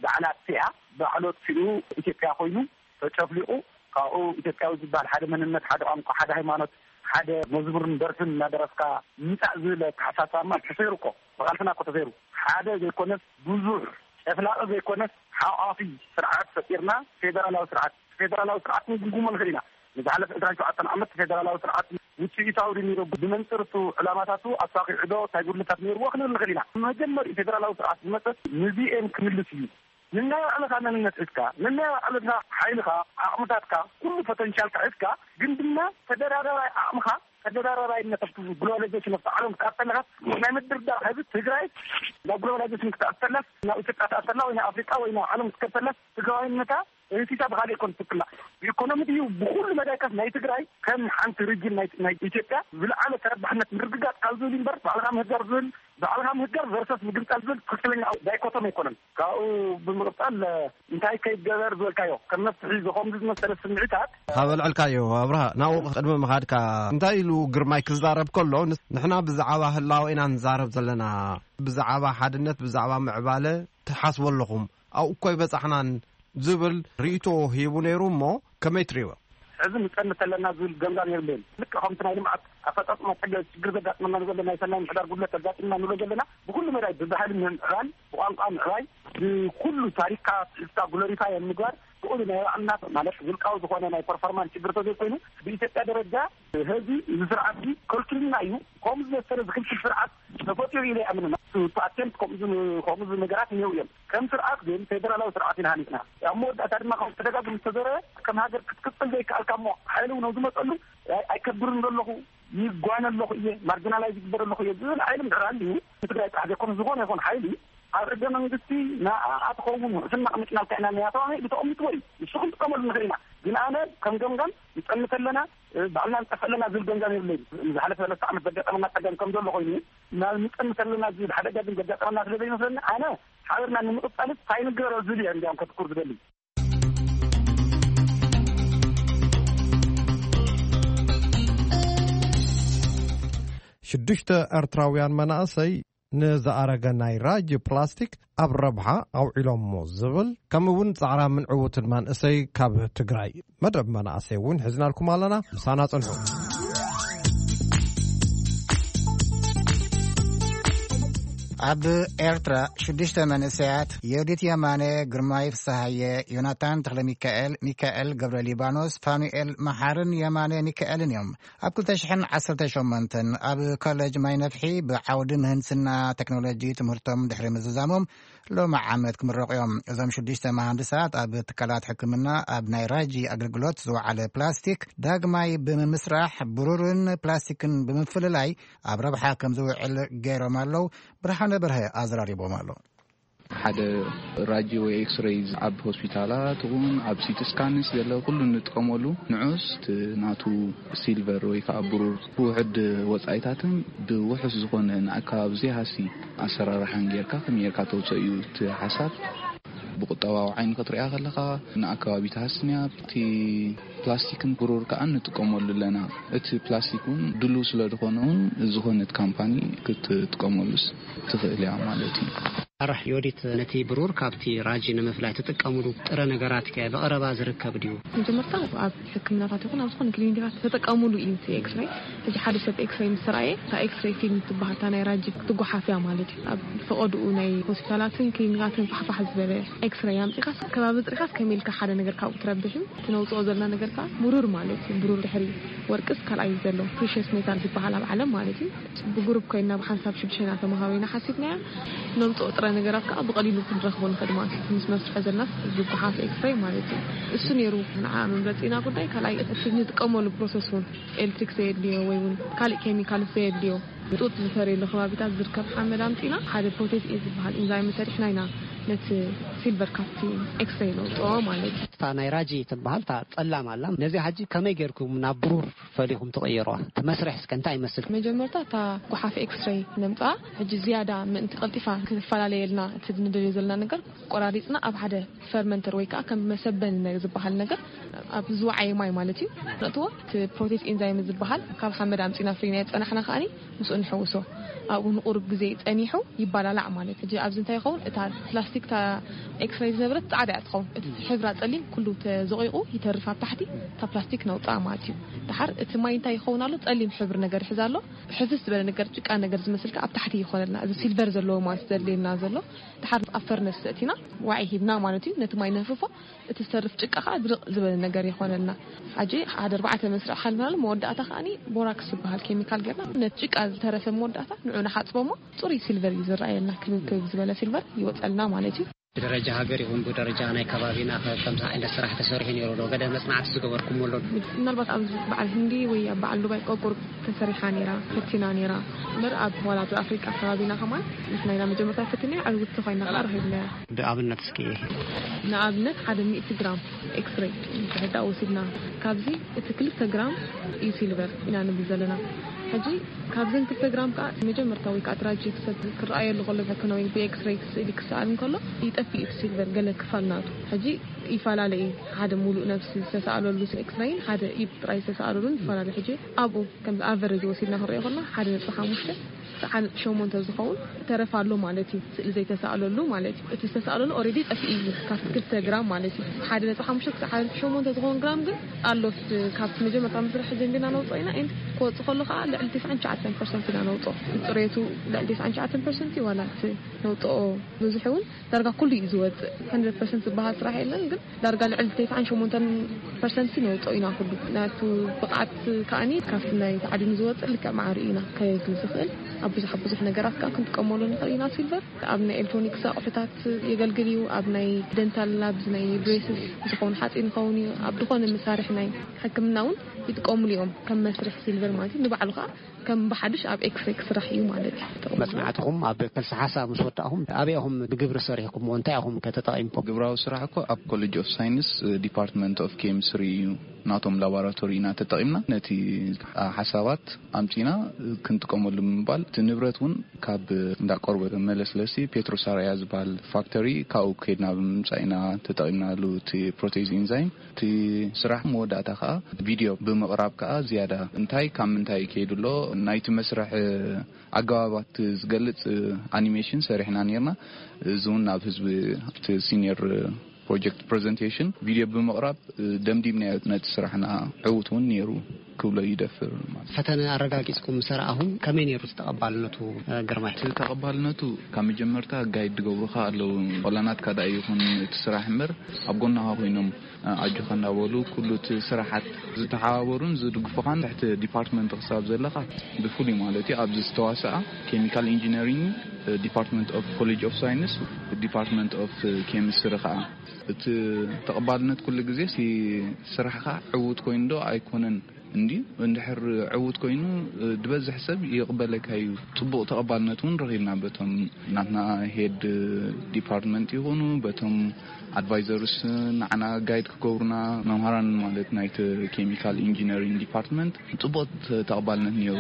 ባዕላ ኣጥፊኣ ባዕሉ ኣጥፊኡ ኢትዮጵያ ኮይኑ ተጨፍሊቑ ካብኡ ኢትዮጵያዊ ዝበሃል ሓደ መንነት ሓደ ቋንቋ ሓደ ሃይማኖት ሓደ መዝሙርን ደርፍን እናደረፍካ ምጻእ ዝብል ኣተሓሳስባማ ተሰይሩ እኮ ብቓልስና እኮ ተሰይሩ ሓደ ዘይኮነስ ብዙሕ ጨፍላቒ ዘይኮነስ ሓቋፊ ስርዓት ፈጢርና ፌደራላዊ ስርዓት ፌደራላዊ ስርዓት ክንግምግሞ ንኽእል ኢና። ንዝሓለፈ ዕስራን ሸውዓተን ዓመት ፌደራላዊ ስርዓት ውፅኢታዊ ድዩ ነይሩ ብመንፅር እቱ ዕላማታቱ ኣሳኺዑ ዶ እንታይ ጉድለታት ነይርዎ ክንብል ንኽእል ኢና። መጀመሪኡ ፌደራላዊ ስርዓት ዝመፀ ንዚኤም ክምልስ እዩ። ንናይ ባዕልኻ መንነት ሒዝካ ንናይ ባዕልኻ ሓይልኻ ዓቕምታትካ ኩሉ ፖተንሻልካ ሒዝካ ግን ድማ ተደራዳራይ ዓቕምኻ ተደራዳራይነት ኣብቲ ግሎባላይዜሽን ኣብቲ ዓለም ክትኣተለኻት ናይ ምድርዳር ህዝቢ ትግራይ ናብ ግሎባላይዜሽን ክትኣተላስ ናብ ኢትዮጵያ ትኣተላ ወይ ናብ ኣፍሪቃ ወይ ናብ ዓለም ክትከተላስ ትግራዋይነታ እንስሳ ብኻሊእ ኮን ትክላ ብኢኮኖሚ ድዩ ብኩሉ መዳይካት ናይ ትግራይ ከም ሓንቲ ሪጅን ናይ ናይ ኢትዮጵያ ዝለዓለ ተረባሕነት ምርግጋፅ ካብ ዝብል እምበር ባዕልኻ ምህጋር ዝብል ባዕልኻ ምህጋር ቨርሰስ ምግንፃል ዝብል ትክክለኛ ዳይኮቶም ኣይኮነን። ካብኡ ብምቕፃል እንታይ ከይገበር ዝበልካዮ ከም መፍትሒ ዝኸምዚ ዝመሰለ ስምዒታት ካብ ኣልዕልካዮ ኣብርሃ ናብኡ ቅድሚ ምኻድካ እንታይ ኢሉ ግርማይ ክዛረብ ከሎ ንስ- ንሕና ብዛዕባ ህላወ ኢና ንዛረብ ዘለና ብዛዕባ ሓድነት ብዛዕባ ምዕባለ ትሓስቡ ኣለኹም ኣብኡ እኮ ኣይበፃሕናን ዝብል ርእይቶ ሂቡ ነይሩ እሞ ከመይ ትርእይዎ? ሕዚ ንፀንት ኣለና ዝብል ገምጋም የብልን። ልክዕ ከምቲ ናይ ልምዓት ኣፈፃፅማ ፀገ ችግር ዘጋጥመና ንዘሎ ናይ ሰናይ ምሕዳር ጉድለት ዘጋጥመና ንብሎ ዘለና ብኩሉ መዳይ ብባህሊ ምዕባል ብቋንቋ ምዕባይ ብኩሉ ታሪክካ ትሕዝካ ግሎሪፋይ ኣብ ምግባር ብኡ ናይ ባዕልና ማለት ውልቃዊ ዝኾነ ናይ ፐርፎርማንስ ችግር ተዘይኮይኑ ብኢትዮጵያ ደረጃ ህዚ እዚ ስርዓት እዚ ከልክልና እዩ። ከምኡ ዝመሰለ ዝክልክል ስርዓት ተፈጢሩ ኢለ ይኣምን። ኣቴምፕት ከምኡ ከምኡ ነገራት እኒው እዮም። ከም ስርዓት ግን ፌደራላዊ ስርዓት ኢና ሃኒፅና። ኣብ መወዳእታ ድማ ከም ተደጋግም ዝተዘረ ከም ሃገር ክትቅፅል ዘይከኣልካ እሞ ሓይሊ እውን ዝመፀሉ ኣይከብርን ዘለኹ ይጓነ ኣለኹ እየ ማርጂናላይዝ ይግበር ኣለኹ እየ ዝብል ሓይሊ ምድር ኣልዩ ንትግራይ ጥራሕ ዘይኮነ ዝኾነ ይኹን ሓይሊ ኣብ ሕገ መንግስቲ ንኣ ትኸውን ውሕስና ኣቕሚጥናልካ ኢና እኒኣ ተባሂሉ ተቐሚጥዎ እዩ። ንሱ ክንጥቀመሉ ንኽእል ኢና። ግን ኣነ ከም ገምጋም ንፀንት ኣለና ባዕልና ንጠፍእ ኣለና ዝብል ገምጋም የብለይን። ንዝሓለፈ ሰለስተ ዓመት ዘጋጠመና ፀገም ከም ዘሎ ኮይኑ ናብ ንፀንት ኣለና ዝብል ሓደጋ ግን ዘጋጠመና ስለ ዘይመስለኒ ኣነ ሓቢርና ንምቕፃልስ እንታይ ንገበሮ ዝብል እየ እንዲያውም ከትኩር ዝደሊ። ሽዱሽተ ኤርትራውያን መናእሰይ ንዝኣረገ ናይ ራጂ ፕላስቲክ ኣብ ረብሓ ኣውዒሎሞ ዝብል ከምኡ እውን ጻዕራምን ዕዉትን መንእሰይ ካብ ትግራይ መደብ መናእሰይ እውን ሒዝናልኩም ኣለና። ምሳና ጽንሑ። ኣብ ኤርትራ ሽዱሽተ መንእሰያት፣ ዮዲት የማነ፣ ግርማይ ፍስሃየ፣ ዮናታን ተኽለ ሚካኤል፣ ሚካኤል ገብረ ሊባኖስ፣ ፋኑኤል መሓርን የማነ ሚካኤልን እዮም። ኣብ ክልተ ሽሕን ዓሰርተ ሸሞንተን ኣብ ኮሌጅ ማይ ነፍሒ ብዓውዲ ምህንድስና ቴክኖሎጂ ትምህርቶም ድሕሪ ምዝዛሞም፣ ሎሚ ዓመት ክምረቑ እዮም። እዞም ሽዱሽተ መሃንድሳት ኣብ ትካላት ሕክምና ኣብ ናይ ራጂ ኣገልግሎት ዝወዓለ ፕላስቲክ ዳግማይ ብምምስራሕ፣ ብሩርን ፕላስቲክን ብምፍልላይ ኣብ ረብሓ ከም ዝውዕል ገይሮም ኣለዉ። ብርሃነ በርሀ ኣዘራሪቦም ኣሎ። ሓደ ራጂ ወይ ኤክስሬይ ኣብ ሆስፒታላት እውን ኣብ ሲቲ ስካንስ ዘሎ ኩሉ እንጥቀመሉ ንዑስ እቲ ናቱ ሲልቨር ወይ ከዓ ብሩር ብውሕድ ወፃኢታትን ብውሑስ ዝኾነ ንኣከባቢ ዘይሃሲ ኣሰራርሓን ጌርካ ከመይ ጌርካ ተውፅኦ እዩ እቲ ሓሳብ። ብቁጠባዊ ዓይኒ ክትሪኣ ከለኻ ንኣከባቢ ትሃስንያ። እቲ ፕላስቲክን ብሩር ከዓ ንጥቀመሉ ኣለና። እቲ ፕላስቲክ እውን ድሉው ስለ ዝኾነ እውን ዝኾነት ካምፓኒ ክትጥቀመሉስ ትኽእል እያ ማለት እዩ። ኣራሕ ዮዲት፣ ነቲ ብሩር ካብቲ ራጂ ንምፍላይ ትጥቀምሉ ጥረ ነገራት ከ ብቐረባ ዝርከብ ድዩ? መጀመርታ ኣብ ሕክምናታት ይኹን ኣብ ዝኾነ ክሊኒካት ተጠቀሙሉ እዩ እቲ ኤክስሬይ። ሕጂ ሓደ ሰብ ኤክስሬይ ምስ ረኣየ፣ እታ ኤክስሬይ ፊልም ትበሃል፣ እታ ናይ ራጂ ክትጓሓፍ እያ ማለት እዩ። ኣብ ፈቐድኡ ናይ ሆስፒታላትን ክሊኒካትን ፋሕፋሕ ዝበለ ኤክስሬይ ኣምጺኻስ፣ ከባቢ ጽሪኻስ ከመይ ኢልካ ሓደ ነገር ካብኡ ትረብሕ እዩ። እቲ ነውጽኦ ዘለና ነገር ከኣ ብሩር ማለት እዩ። ብሩር ድሕሪ ወርቅስ ካልኣይ ዘሎ ፕሪሽስ ሜታል ዝበሃል ኣብ ዓለም ማለት እዩ። ብግሩፕ ኮይና ብሓንሳብ ሽዱሽተ ኢና ተመሃቢና ሓሲብናያ። ነምጽኦ ጥረ ነገራት ከኣ ብቐሊሉ ክንረኽቦ ንኽእል ማለት እዩ። ምስ መስርሖ ዘናስ ዝጓሓፍ ኤክስሬይ ማለት እዩ። እሱ ነይሩ ንዓ መምረጺና ጉዳይ። ካልኣይ እቲ ንጥቀመሉ ፕሮሰስ እውን ኤሌክትሪክ ዘየድልዮ ወይ እውን ካልእ ኬሚካል ዘየድልዮ ጡጥ ዝፈርየሉ ከባቢታት ዝርከብ ሓመድ ኣምጺና ሓደ ፕሮቴዝ ኤ ዝበሃል ኢንዛይም ሰሪሕና ኢና ነቲ ሲልቨር ካብቲ ኤክስሬይ ነውጽኦ ማለት እዩ። እታ ናይ ራጂ ትበሃል እታ ጸላም ኣላ። ነዚኣ ሕጂ ከመይ ጌርኩም ናብ ብሩር ፈሊኹም ትቕይርዋ? እቲ መስርሕ እስከ እንታይ ይመስል? መጀመርታ እታ ጓሓፍ ኤክስሬይ ነምጽኣ። ሕጂ ዝያዳ ምእንቲ ቀልጢፋ ክትፈላለየልና እቲ ንደልዮ ዘለና ነገር ቆራሪጽና ኣብ ሓደ ፈርመንተር ወይ ከዓ ከም መሰበኒ ነ-፣ ዝበሃል ነገር ኣብ ዝወዓየ ማይ ማለት እዩ ነእትዎ። እቲ ፕሮቴስ ኤንዛይም ዝበሃል ካብ ሓመድ ኣምጺና ፍሪና የጸናሕና ከኣኒ ምስኡ ንሕውሶ። ኣብኡ ንቁሩብ ግዜ ጸኒሑ ይባላላዕ ማለት። ሕጂ ኣብዚ እንታይ ይኸውን? እታ ፕላስቲክ፣ እታ ኤክስሬይ ዝነበረት ጻዕዳ እያ ትኸውን። እቲ ሕብራ ጸሊም ኩሉ ተዘቂቑ ይተርፍ ኣብ ታሕቲ፣ እታ ፕላስቲክ ነውጽኣ ማለት እዩ። ደሓር እቲ ማይ እንታይ ይኸውን ኣሎ? ጸሊም ሕብሪ ነገር ይሕዝ ኣሎ። ሕፍስ ዝበለ ነገር፣ ጭቃ ነገር ዝመስል ከኣ ኣብ ታሕቲ ይኾነልና። እዚ ሲልቨር ዘለዎ ማለት ዘድልየና ዘሎ። ደሓር ኣብ ፈርነስ ዘእቲና ዋዒ ሂብና ማለት እዩ። ነቲ ማይ ነህፍፎ፣ እቲ ዝተርፍ ጭቃ ከኣ ድርቕ ዝበለ ነገር ይኾነልና። ሕጂ ሓደ ኣርባዕተ መስርዕ ሓሊፍናሉ፣ መወዳእታ ከኣኒ ቦራክስ ዝበሃል ኬሚካል ጌርና ነቲ ጭቃ ዝተረፈ መወዳእታ ንዑ ንሓጽቦ እሞ ጽሩይ ሲልቨር እዩ ዝረኣየልና። ክብብ ክብብ ዝበለ ሲልቨር ይወጸልና ማለት እዩ። ብደረጃ ሃገር ይኹን ብደረጃ ናይ ከባቢና ከ ከምዚ ዓይነት ስራሕ ተሰሪሑ ነይሩ ዶ? ገለ መጽናዕቲ ዝገበርኩምዎ ኣሎ ዶ? ምናልባት ኣብ በዓል ህንዲ ወይ ኣብ በዓል ዱባይ ቆቁር ተሰሪሓ ነይራ፣ ፈቲና ነይራ። እምበር ኣብ ዋላ ኣብ ኣፍሪቃ ከባቢና ከማን ንሕና ኢና መጀመርታ ፈቲናያ፣ ዕውትቲ ኮይና ከኣ ረኺብናያ። ብኣብነት እስኪ። ንኣብነት ሓደ ሚእቲ ግራም ኤክስሬይ እንድሕር ደኣ ወሲድና፣ ካብዚ እቲ ክልተ ግራም እዩ ሲልቨር ኢና ንብል ዘለና። ሕጂ ካብዘን ክልተ ግራም ከኣ መጀመርታ ወይ ከኣ ትራጂ ክሰብ ክረኣየሉ ከሎ፣ ሕክምና ወይ ብኤክስሬይ ስእሊ ክሰኣል እንከሎ ይጠፍእ እቲ ሲልቨር ገለ ክፋል ናቱ። ሕጂ ይፈላለ እዩ። ሓደ ሙሉእ ነብሲ ዝተሰኣለሉ ኤክስሬይን ሓደ ኢድ ጥራይ ዝተሰኣለሉን ይፈላለ። ሕጂ ኣብኡ ከም ኣቨሬጅ ወሲድና ክንሪኦ ከለና ሓደ ነጥቢ ሓሙሽተ ክሳዕ ሓደ ነጥቢ ሸሞንተ ዝኸውን ተረፍ ኣሎ ማለት እዩ። ስእሊ ዘይተሰኣለሉ ማለት እዩ። እቲ ዝተሰኣለሉ ኦልሬዲ ጠፊኡ እዩ ካብቲ ክልተ ግራም ማለት እዩ። ሓደ ነጥቢ ሓሙሽተ ክሳዕ ሓደ ነጥቢ ሸሞንተ ዝኸውን ግራም ግን ኣሎ። ስ-፣ ካብቲ መጀመርታ መስርሕ ጀሚርና ነውፅኦ ኢና። ኤንድ ክወፅእ ከሎ ከዓ ልዕሊ ተስዓን ትሽዓተን ፐርሰንት ኢና ነውፅኦ። ጽሬቱ ልዕሊ ተስዓን ትሽዓተን ፐርሰንት እዩ። ዋላ እቲ ነውፅኦ ብዙሕ እውን ዳርጋ ኩሉ እዩ ዝወፅእ። ሃንድረድ ፐርሰንት ዝበሃል ስራሕ የለን፣ ግን ዳርጋ ልዕሊ ተስዓን ሸሞንተን ፐርሰንት ነውፅኦ ኢና ኩሉ። ናቱ ብቕዓት ከኣኒ ካብቲ ናይ ተዓዲኑ ዝወፅእ ልክዕ ማዕሪ ኢና ከየድሊ ዝኽእል። ኣብ ብዙሕ፣ ኣብ ብዙሕ ነገራት ከዓ ክንጥቀመሉ ንኽእል ኢና ሲልቨር። ኣብ ናይ ኤሌክትሮኒክስ ኣቑሑታት የገልግል እዩ። ኣብ ናይ ደንታል ላብስ፣ ናይ ብሬስስ ዝኸውን ሓፂን ይኸውን እዩ። ኣብ ዝኾነ መሳርሒ ናይ ሕክምና እውን ይጥቀሙሉ እዮም ከም መስርሒ ሲልቨር ማለት እዩ። ንባዕሉ ከዓ ከም ብሓድሽ ኣብ ኤክስሬይ ክስራሕ እዩ ማለት እዩ። መጽናዕትኹም ኣብ ከልሲ ሓሳብ ምስ ወዳእኹም ኣበይ ኢኹም ብግብሪ ሰሪሕኩምዎ? እንታይ ኢኹም ከ ተጠቒምኩም? ግብራዊ ስራሕ እኮ ኣብ ኮሌጅ ኦፍ ሳይንስ ዲፓርትመንት ኦፍ ኬሚስትሪ እዩ። ናቶም ላቦራቶሪ ኢና ተጠቒምና ነቲ ሓሳባት ኣምጺና ክንጥቀመሉ ብምባል፣ እቲ ንብረት እውን ካብ እንዳ ቆርበት መለስለሲ ፔትሮሳራያ ዝበሃል ፋክተሪ ካብኡ ከይድና ብምምጻእ ኢና ተጠቒምናሉ እቲ ፕሮቴዝ ኢንዛይም። እቲ ስራሕ መወዳእታ ከኣ ቪድዮ ብምቕራብ ከኣ ዝያዳ እንታይ ካብ ምንታይ ከይዱ ኣሎ ናይቲ መስርሕ ኣገባባት ዝገልጽ ኣኒሜሽን ሰሪሕና ነርና። እዚ እውን ናብ ህዝቢ ኣብቲ ሲኒየር ፕሮጀክት ፕሬዘንቴሽን ቪድዮ ብምቕራብ ደምዲምናዮ ነቲ ስራሕና። ዕዉት እውን ነይሩ። ክብሎ ይደፍር ማለት። ፈተነ ኣረጋጊጽኩም ምስ ረኣኹም ከመይ ነይሩ እቲ ተቐባልነቱ? ግርማይ። እቲ ተቐባልነቱ ካብ መጀመርታ ጋይድ ዝገብሩኻ ኣለዉ። ቆላናትካ ደኣ ይኹን እቲ ስራሕ እምበር፣ ኣብ ጎናኻ ኮይኖም ኣጆኻ እንዳበሉ ኩሉ እቲ ስራሓት ዝተሓባበሩን ዝድግፉኻን ትሕቲ ዲፓርትመንት ክሳብ ዘለኻ ብፍሉይ ማለት እዩ። ኣብዚ ዝተዋሰኣ ኬሚካል ኢንጂነሪንግ ዲፓርትመንት ኦፍ ኮሌጅ ኦፍ ሳይንስ፣ ዲፓርትመንት ኦፍ ኬሚስትሪ ከዓ እቲ ተቐባልነት ኩሉ ግዜ ሲ ስራሕኻ ዕዉት ኮይኑ ዶ ኣይኮነን እንዲ እንድሕር ዕዉት ኮይኑ ዝበዝሕ ሰብ ይቕበለካ እዩ። ጽቡቕ ተቐባልነት እውን ረኺብና በቶም ናትና ሄድ ዲፓርትመንት ይኹኑ በቶም ኣድቫይዘርስ ንዓና ጋይድ ክገብሩና መምሃራን ማለት ናይቲ ኬሚካል ኢንጂነሪንግ ዲፓርትመንት ጽቡቕ ተቐባልነት ነይሩ።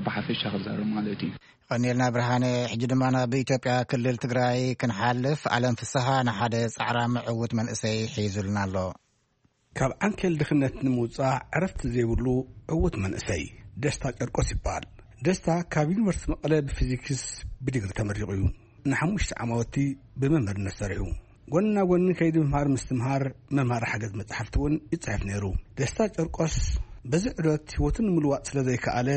ብሓፈሻ ክዛረብ ማለት እዩ። ቀኒልና ብርሃነ። ሕጂ ድማ ናብ ኢትዮጵያ ክልል ትግራይ ክንሓልፍ። ኣለም ፍስሃ ንሓደ ጻዕራሚ ዕዉት መንእሰይ ሒዙልና ኣሎ። ካብ ዓንኬል ድኽነት ንምውጻእ ዕረፍቲ ዘይብሉ ዕዉት መንእሰይ ደስታ ጨርቆስ ይበሃል። ደስታ ካብ ዩኒቨርሲቲ መቐለ ብፊዚክስ ብዲግሪ ተመሪቑ እዩ። ንሓሙሽተ ዓማውቲ ብመምህርነት ሰሪሑ። ጎኒ ናብ ጎኒ ከይዲ ምምሃር ምስትምሃር መምሃሪ ሓገዝ መጻሕፍቲ እውን ይጽሕፍ ነይሩ። ደስታ ጨርቆስ በዚ ዕዶት ህይወቱ ንምልዋጥ ስለ ዘይከኣለ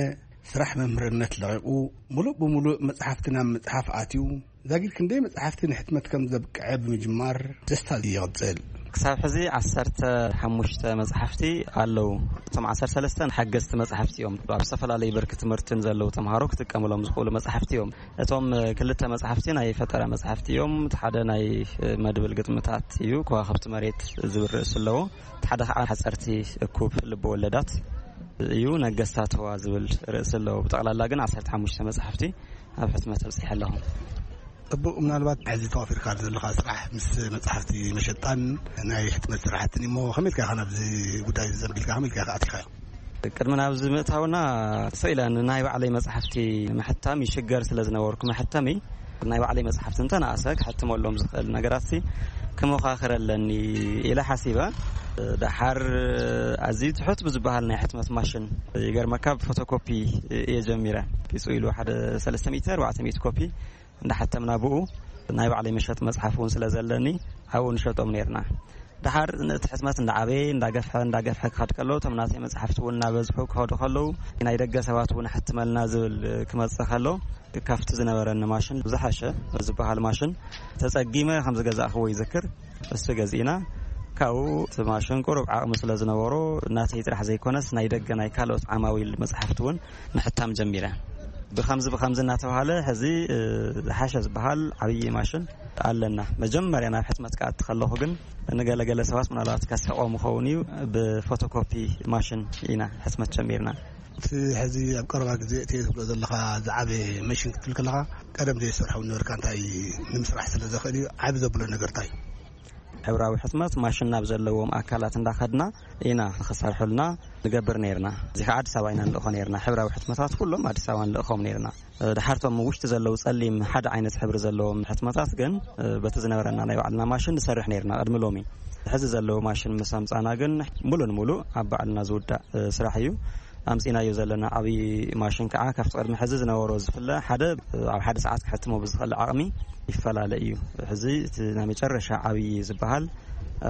ስራሕ መምህርነት ለቒቑ፣ ምሉእ ብምሉእ መጽሓፍቲ ናብ ምጽሓፍ ኣትዩ። ዛጊድ ክንደይ መጽሓፍቲ ንሕትመት ከም ዘብቅዐ ብምጅማር ደስታ ይቕጽል። ክሳብ ሕዚ ዓሰርተ ሓሙሽተ መጽሓፍቲ ኣለዉ። እቶም ዓሰርተ ሰለስተ ሓገዝቲ መጽሓፍቲ እዮም። ኣብ ዝተፈላለዩ ብርኪ ትምህርትን ዘለዉ ተምሃሮ ክጥቀምሎም ዝኽእሉ መጽሓፍቲ እዮም። እቶም ክልተ መጽሓፍቲ ናይ ፈጠራ መጽሓፍቲ እዮም። እቲ ሓደ ናይ መድብል ግጥምታት እዩ፣ ከዋኽብቲ መሬት ዝብል ርእሲ ኣለዎ። እቲ ሓደ ከዓ ሓጸርቲ እኩብ ልበ ወለዳት እዩ፣ ነገስታት ህዋ ዝብል ርእሲ ኣለዎ። ብጠቕላላ ግን ዓሰርተ ሓሙሽተ መጽሓፍቲ ኣብ ሕትመት ኣብጺሐ ኣለኹ። ጽቡቕ፣ ምናልባት ሕዚ ተዋፊርካ ዘለኻ ስራሕ ምስ መጽሓፍቲ መሸጣን ናይ ሕትመት ስራሕትን እሞ፣ ከመይ ኢልካ ኢኻ ናብዚ ጉዳይ ዘንቢልካ፣ ከመይ ኢልካ ኢኻ ኣቲኻ? ቅድሚ ናብዚ ምእታውና ስቕ ኢለ ንናይ ባዕለይ መጽሓፍቲ ምሕታም ይሽገር ስለ ዝነበርኩ፣ መሐተሚ ናይ ባዕለይ መጽሓፍቲ እንተነኣሰ ክሕትመሎም ዝኽእል ነገራት ሲ ክመኻኽር ኣለኒ ኢለ ሓሲበ። ደሓር ኣዝዩ ትሑት ብዝበሃል ናይ ሕትመት ማሽን፣ ይገርመካ፣ ብፎቶኮፒ እየ ጀሚረ። ቂጹ ኢሉ ሓደ ሰለስተ ሚእቲ፣ ኣርባዕተ ሚእቲ ኮፒ እንዳሓተምና ብኡ ናይ ባዕለይ መሸጢ መጽሓፍ እውን ስለ ዘለኒ ኣብኡ ንሸጦም ነይርና። ደሓር እቲ ሕትመት እንዳዓበየ፣ እንዳገፍሐ፣ እንዳገፍሐ ክኸድ ከሎ፣ እቶም ናተይ መጽሓፍቲ እውን እናበዝሑ ክኸዱ ከለዉ፣ ናይ ደገ ሰባት እውን ሕትመልና ዝብል ክመጽእ ከሎ፣ ካብቲ ዝነበረኒ ማሽን ብዝሓሸ ዝበሃል ማሽን ተጸጊመ ከም ዝገዛእኽዎ ይዝክር። እሱ ገዚእና፣ ካብኡ እቲ ማሽን ቁሩብ ዓቕሚ ስለ ዝነበሮ፣ ናተይ ጥራሕ ዘይኮነስ ናይ ደገ ናይ ካልኦት ዓማዊል መጽሓፍቲ እውን ምሕታም ጀሚረ። ብኸምዚ ብኸምዚ እናተባሃለ ሕዚ፣ እ፣ ዝሓሸ ዝበሃል ዓብዪ ማሽን ኣለና። መጀመርያ ናብ ሕትመት ክኣቲ ከለኹ ግን ንገለገለ ሰባት ምናልባት ከስሕቖም ይኸውን እዩ፣ ብፎቶኮፒ ማሽን ኢና ሕትመት ጀሚርና። እቲ ሕዚ ኣብ ቀረባ ግዜ እቲ ትብሎ ዘለኻ ዝዓበየ መሽን ክትብል ከለኻ፣ ቀደም ዘይሰርሖ ነበርካ፣ እንታይ ንምስራሕ ስለ ዘኽእል እዩ፣ ዓቢ ዘብሎ ነገር እንታይ እዩ? ሕብራዊ ሕትመት ማሽን ናብ ዘለዎም ኣካላት እንዳኸድና ኢና ንኽሰርሑልና ንገብር ነይርና። እዚ ከዓ ኣዲስ ኣበባ ኢና ንልእኾ ነይርና። ሕብራዊ ሕትመታት ኩሎም ኣዲስ ኣበባ ንልእኾም ነይርና። ድሓርቶም ውሽጢ ዘለዉ ጸሊም ሓደ ዓይነት ሕብሪ ዘለዎም ሕትመታት ግን፣ በቲ ዝነበረና ናይ ባዕልና ማሽን ንሰርሕ ነይርና ቅድሚ ሎሚ። ሕዚ ዘለዉ ማሽን ምስ ኣምጻና ግን ሙሉ ንሙሉ ኣብ ባዕልና ዝውዳእ ስራሕ እዩ። ኣምጺናዮ ዘለና ዓብዪ ማሽን ከዓ ካብቲ ቅድሚ ሕዚ ዝነበሮ ዝፍለ ሓደ ኣብ ሓደ ሰዓት ክሕትሞ ብዝኽእል ዓቕሚ ይፈላለ እዩ። ሕዚ እቲ ናይ መጨረሻ ዓብዪ ዝበሃል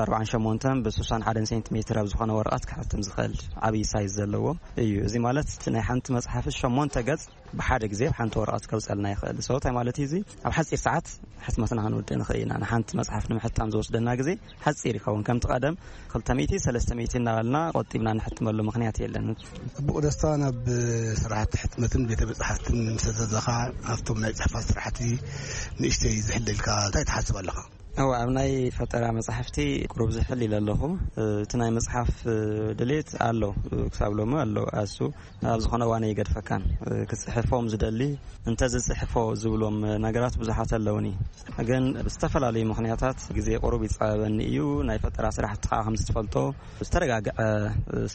ኣርባዓን ሸሞንተን ብስሳን ሓደን ሴንቲሜትር ኣብ ዝኾነ ወረቐት ክሕትም ዝኽእል ዓብዪ ሳይዝ ዘለዎ እዩ። እዚ ማለት እቲ ናይ ሓንቲ መጽሓፍ ሸሞንተ ገጽ ብሓደ ግዜ ኣብ ሓንቲ ወረቐት ከውጸልና ይኽእል። So እንታይ ማለት እዩ እዚ? ኣብ ሓጺር ሰዓት ሕትመትና ክንውድእ ንኽእል ኢና። ንሓንቲ መጽሓፍ ንምሕታም ዝወስደና ግዜ ሓጺር ይኸውን። ከምቲ ቀደም ክልተ ሚእቲ፣ ሰለስተ ሚእቲ እናበልና ቆጢብና ንሕትመሉ ምኽንያት የለን። ጽቡቕ ደስታ፣ ናብ ስራሕቲ ሕትመትን ቤተ መጻሕፍትን ምስ ኣዘዘኻ፣ ኣብቶም ናይ ጽሕፈት ስራሕቲ ንእሽተይ ዝሕለልካ እንታይ ትሓስብ ኣለኻ? እወ፣ ኣብ ናይ ፈጠራ መጻሕፍቲ ቁሩብ ዝሕል ኢለ ኣለኹ። እቲ ናይ መጽሓፍ ድሌት ኣሎ፣ ክሳብ ሎሚ ኣሎ። ኣሱ ኣብ ዝኾነ እዋን ኣይገድፈካን። ክጽሕፎም ዝደሊ እንተ ዝጽሕፎ ዝብሎም ነገራት ብዙሓት ኣለውኒ። ግን ብዝተፈላለዩ ምኽንያታት ግዜ ቁሩብ ይጻበበኒ እዩ። ናይ ፈጠራ ስራሕቲ ከዓ ከም ዝትፈልጦ ዝተረጋግዐ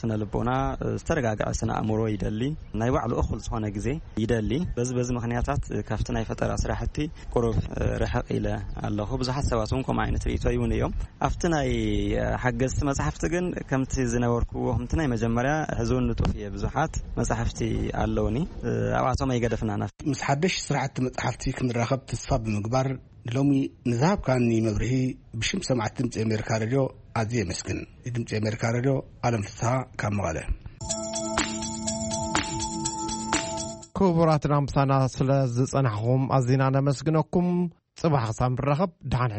ስነ ልቦና፣ ዝተረጋግዐ ስነ ኣእምሮ ይደሊ። ናይ ባዕሉ እኹል ዝኾነ ግዜ ይደሊ። በዚ በዚ ምኽንያታት ካብቲ ናይ ፈጠራ ስራሕቲ ቁሩብ ርሕቕ ኢለ ኣለኹ። ብዙሓት ሰባት እውን ከምኡ ዓይነት ርእይቶ ይውን እዮም። ኣብቲ ናይ ሓገዝቲ መጽሓፍቲ ግን ከምቲ ዝነበርኩዎ፣ ከምቲ ናይ መጀመርያ፣ ሕዚ እውን ንጡፍ እየ። ብዙሓት መጽሓፍቲ ኣለውኒ። ኣብኣቶም ኣይገደፍናን። ምስ ሓደሽ ስራሕቲ መጽሓፍቲ ክንራኸብ ተስፋ ብምግባር፣ ንሎሚ ንዝሃብካኒ መብርሂ ብሽም ሰማዕቲ ድምጺ ኣሜሪካ ሬድዮ ኣዝየ የመስግን። ንድምጺ ኣሜሪካ ሬድዮ፣ ኣለም ፍስሃ ካብ መቐለ። ክቡራትና ምሳና ስለ ዝጸናሕኹም ኣዚና ነመስግነኩም። ጽባሕ ክሳብ ንራኸብ፣ ደሓን